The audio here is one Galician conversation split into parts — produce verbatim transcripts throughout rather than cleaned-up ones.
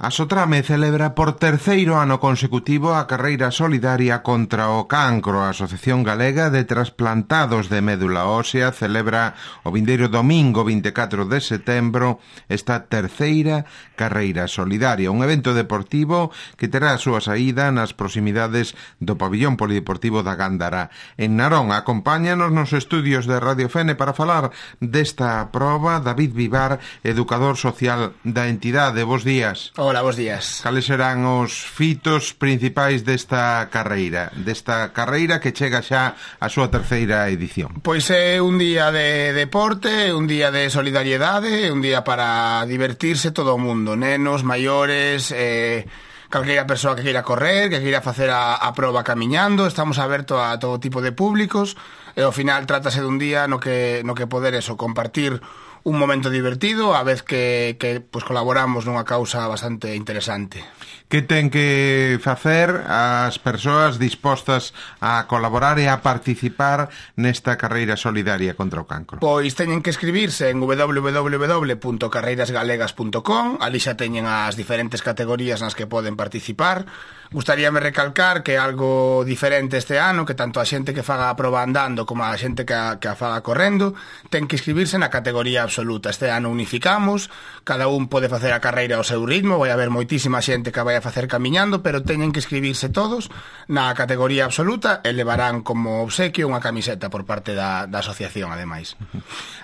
A Sotrame celebra por terceiro ano consecutivo a carreira solidaria contra o cancro. A Asociación Galega de Trasplantados de Médula Ósea celebra o vindeiro domingo vinte e catro de setembro esta terceira carreira solidaria, un evento deportivo que terá a súa saída nas proximidades do pabillón polideportivo da Gándara en Narón. Acompáñanos nos estudios de Radio Fene para falar desta proba David Vivar, educador social da entidade. Bos días. Hola, bos días. Cales serán os fitos principais desta carreira, desta carreira que chega xa a súa terceira edición? Pois é un día de deporte, un día de solidariedade, un día para divertirse todo o mundo, nenos, maiores, eh, calquera persoa que queira correr, que queira facer a, a proba camiñando. Estamos abertos a todo tipo de públicos e ao final trátase dun día no que, no que poder eso, compartir un momento divertido, a vez que, que pues, colaboramos nunha causa bastante interesante. Que ten que facer as persoas dispostas a colaborar e a participar nesta carreira solidaria contra o cancro? Pois teñen que escribirse en doble u doble u doble u punto carreiras galegas punto com. Ali xa teñen as diferentes categorías nas que poden participar. Gustaríame recalcar que algo diferente este ano, que tanto a xente que faga a proba andando como a xente que a, que a faga correndo ten que inscribirse na categoría absoluta. Este ano unificamos, cada un pode facer a carreira ao seu ritmo, vai haber moitísima xente que vai a facer camiñando, pero teñen que inscribirse todos na categoría absoluta e levarán como obsequio unha camiseta por parte da, da asociación, ademais.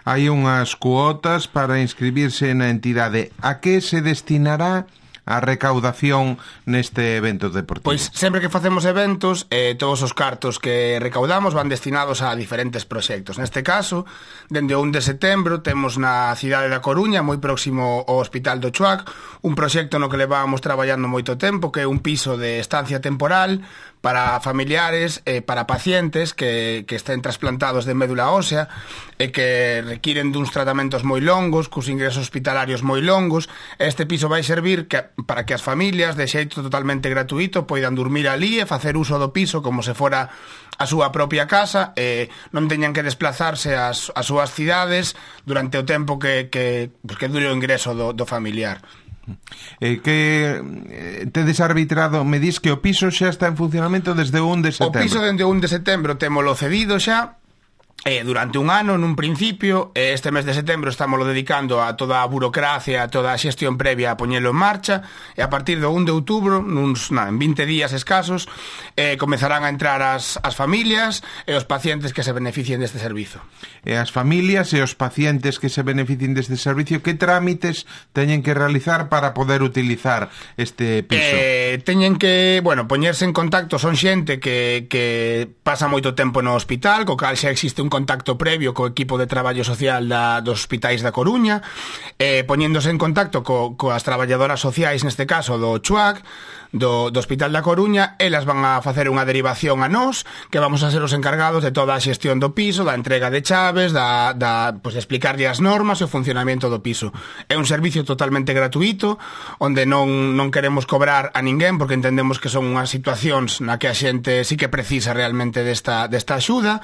Hai unhas cuotas para inscribirse na entidade. A que se destinará a recaudación neste evento deportivo? Pois sempre que facemos eventos, eh, todos os cartos que recaudamos van destinados a diferentes proxectos. Neste caso, dende o un de setembro temos na cidade da Coruña, moi próximo ao Hospital do Chuac, un proxecto no que levábamos traballando moito tempo, que é un piso de estancia temporal para familiares, eh, para pacientes que, que estén trasplantados de médula ósea e que requiren duns tratamentos moi longos, cos ingresos hospitalarios moi longos. Este piso vai servir que, para que as familias, de xeito totalmente gratuito, poidan dormir ali e facer uso do piso como se fora a súa propia casa, e non teñan que desplazarse ás, ás súas cidades durante o tempo que, que, pues, que dure o ingreso do, do familiar. Eh, que eh, tedes arbitrado, me dis que o piso xa está en funcionamento desde o un de setembro. O piso desde o un de setembro témolo cedido xa eh, durante un ano, nun principio. eh, Este mes de setembro estámoslo dedicando a toda a burocracia, a toda a xestión previa a poñelo en marcha, e a partir do un de outubro, nuns, na, en vinte días escasos, eh, comezarán a entrar as, as familias e os pacientes que se beneficien deste servizo. E as familias e os pacientes que se beneficien deste servicio, que trámites teñen que realizar para poder utilizar este piso? Eh, teñen que, bueno, poñerse en contacto. Son xente que, que pasa moito tempo no hospital, co cal xa existe un contacto previo co equipo de traballo social da, dos hospitais da Coruña, eh, poñéndose en contacto co, coas traballadoras sociais, neste caso do Chuac, do, do Hospital da Coruña. Elas van a facer unha derivación a nós, que vamos a ser os encargados de toda a xestión do piso, da entrega de chaves, da, da, pues, de explicarlle as normas e o funcionamento do piso. É un servicio totalmente gratuito, onde non, non queremos cobrar a ninguén, porque entendemos que son unhas situacións na que a xente sí que precisa realmente desta, desta axuda.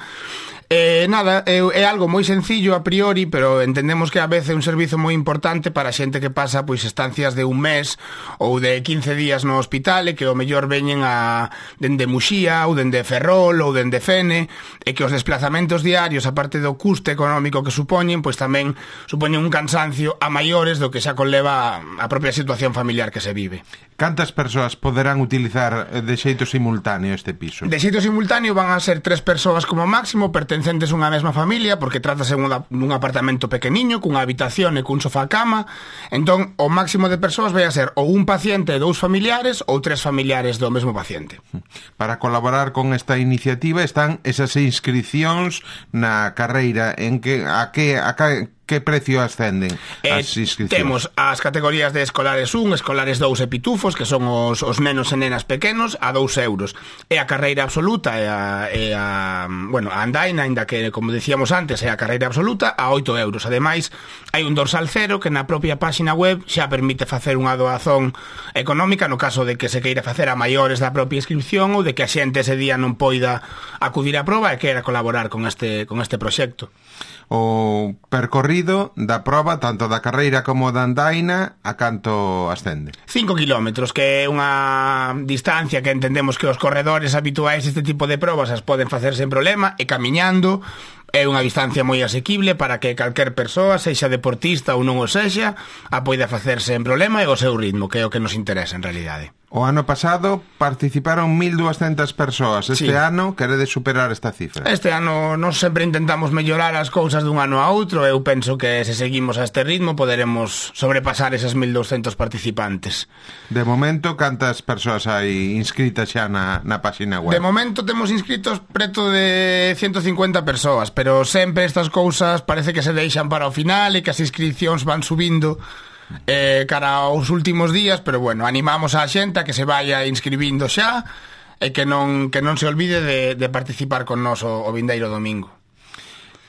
Eh, nada, é, é algo moi sencillo a priori, pero entendemos que a veces é un servizo moi importante para xente que pasa pois estancias de un mes ou de quince días no hospital, e que o mellor veñen a dende Muxía ou dende Ferrol ou dende Fene, e que os desplazamentos diarios, aparte do custe económico que supoñen, pois tamén supoñen un cansancio a maiores do que xa conleva a propia situación familiar que se vive. Cantas persoas poderán utilizar de xeito simultáneo este piso? De xeito simultáneo van a ser tres persoas como máximo, pertencentes a unha mesma familia, porque trátase dun apartamento pequeniño, cunha habitación e cun sofá cama. Entón, o máximo de persoas vai a ser ou un paciente e dous familiares, ou tres familiares do mesmo paciente. Para colaborar con esta iniciativa están esas inscripcións na carreira, en que a que a que que precio ascenden as inscripcións? Eh, temos as categorías de escolares un, escolares dous e pitufos, que son os, os nenos e nenas pequenos, a dous euros. E a carreira absoluta e a, e a, bueno, a andaina, ainda que, como dicíamos antes, é a carreira absoluta, a oito euros. Ademais, hai un dorsal cero que na propia páxina web xa permite facer unha doazón económica no caso de que se queira facer a maiores da propia inscripción ou de que a xente ese día non poida acudir á proba e queira colaborar con este, con este proxecto. O percorrido da proba, tanto da carreira como da andaina, a canto ascende? cinco kilómetros, que é unha distancia que entendemos que os corredores habituais deste tipo de probas as poden facer sen problema, e camiñando é unha distancia moi asequible para que calquer persoa, sexa deportista ou non o sexa, a poida facer sen problema e o seu ritmo, que é o que nos interesa en realidade. O ano pasado participaron mil duascentas persoas. Este sí. ano queredes superar esta cifra? Este ano nós sempre intentamos mellorar as cousas dun ano a outro. Eu penso que se seguimos a este ritmo poderemos sobrepasar esas mil douscentos participantes. De momento, cantas persoas hai inscritas xa na, na página web? De momento temos inscritos preto de ciento cincuenta persoas, pero sempre estas cousas parece que se deixan para o final e que as inscripcións van subindo eh, cara aos últimos días, pero bueno, animamos a xente a que se vaya inscribindo xa e que non, que non se olvide de, de participar con nós o, o vindeiro domingo.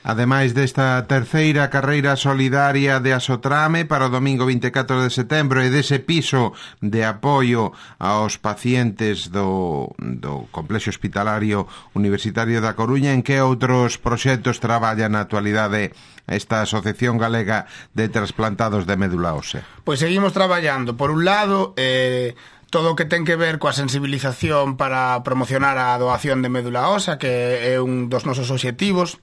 Ademais desta terceira carreira solidaria de Asotrame para o domingo vinte e catro de setembro e dese piso de apoio aos pacientes do, do Complexo Hospitalario Universitario da Coruña, en que outros proxectos traballa na actualidade esta Asociación Galega de Trasplantados de Médula Ósea? Pois seguimos traballando, por un lado, eh, todo o que ten que ver coa sensibilización para promocionar a doación de médula ósea, que é un dos nosos obxectivos,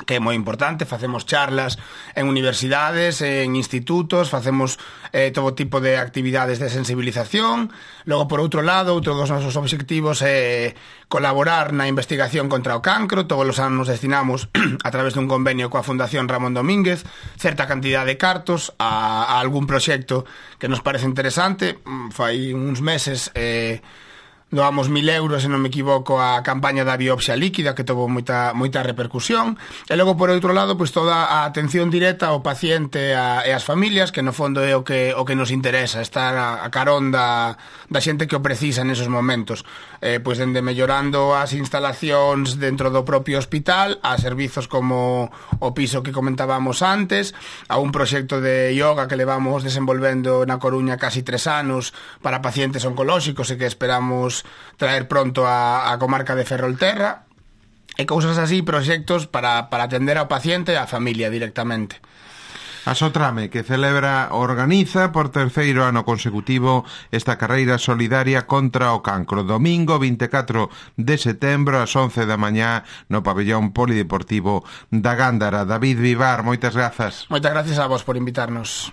que é moi importante. Facemos charlas en universidades, en institutos, facemos eh, todo tipo de actividades de sensibilización. Logo, por outro lado, outro dos nosos obxectivos é colaborar na investigación contra o cancro. Todos os anos destinamos, a través dun convenio coa Fundación Ramón Domínguez, certa cantidad de cartos a, a algún proxecto que nos parece interesante. Fai uns meses eh, doamos mil euros, se non me equivoco, a campaña da biopsia líquida, que tuvo moita, moita repercusión. E logo, por outro lado, pois toda a atención directa ao paciente a, e as familias, que no fondo é o que, o que nos interesa, estar a, a carón da, da xente que o precisa nesos momentos. Eh, pois dende mellorando as instalacións dentro do propio hospital, a servizos como o piso que comentábamos antes, a un proxecto de yoga que levamos desenvolvendo na Coruña casi tres anos para pacientes oncolóxicos e que esperamos traer pronto a, a comarca de Ferrolterra, e cousas así, proxectos para, para atender ao paciente e á familia directamente. Asotrame, que celebra, organiza por terceiro ano consecutivo esta carreira solidaria contra o cancro. Domingo vinte e catro de setembro ás once da mañá no pabellón polideportivo da Gándara. David Vivar, moitas grazas. Moitas gracias a vos por invitarnos.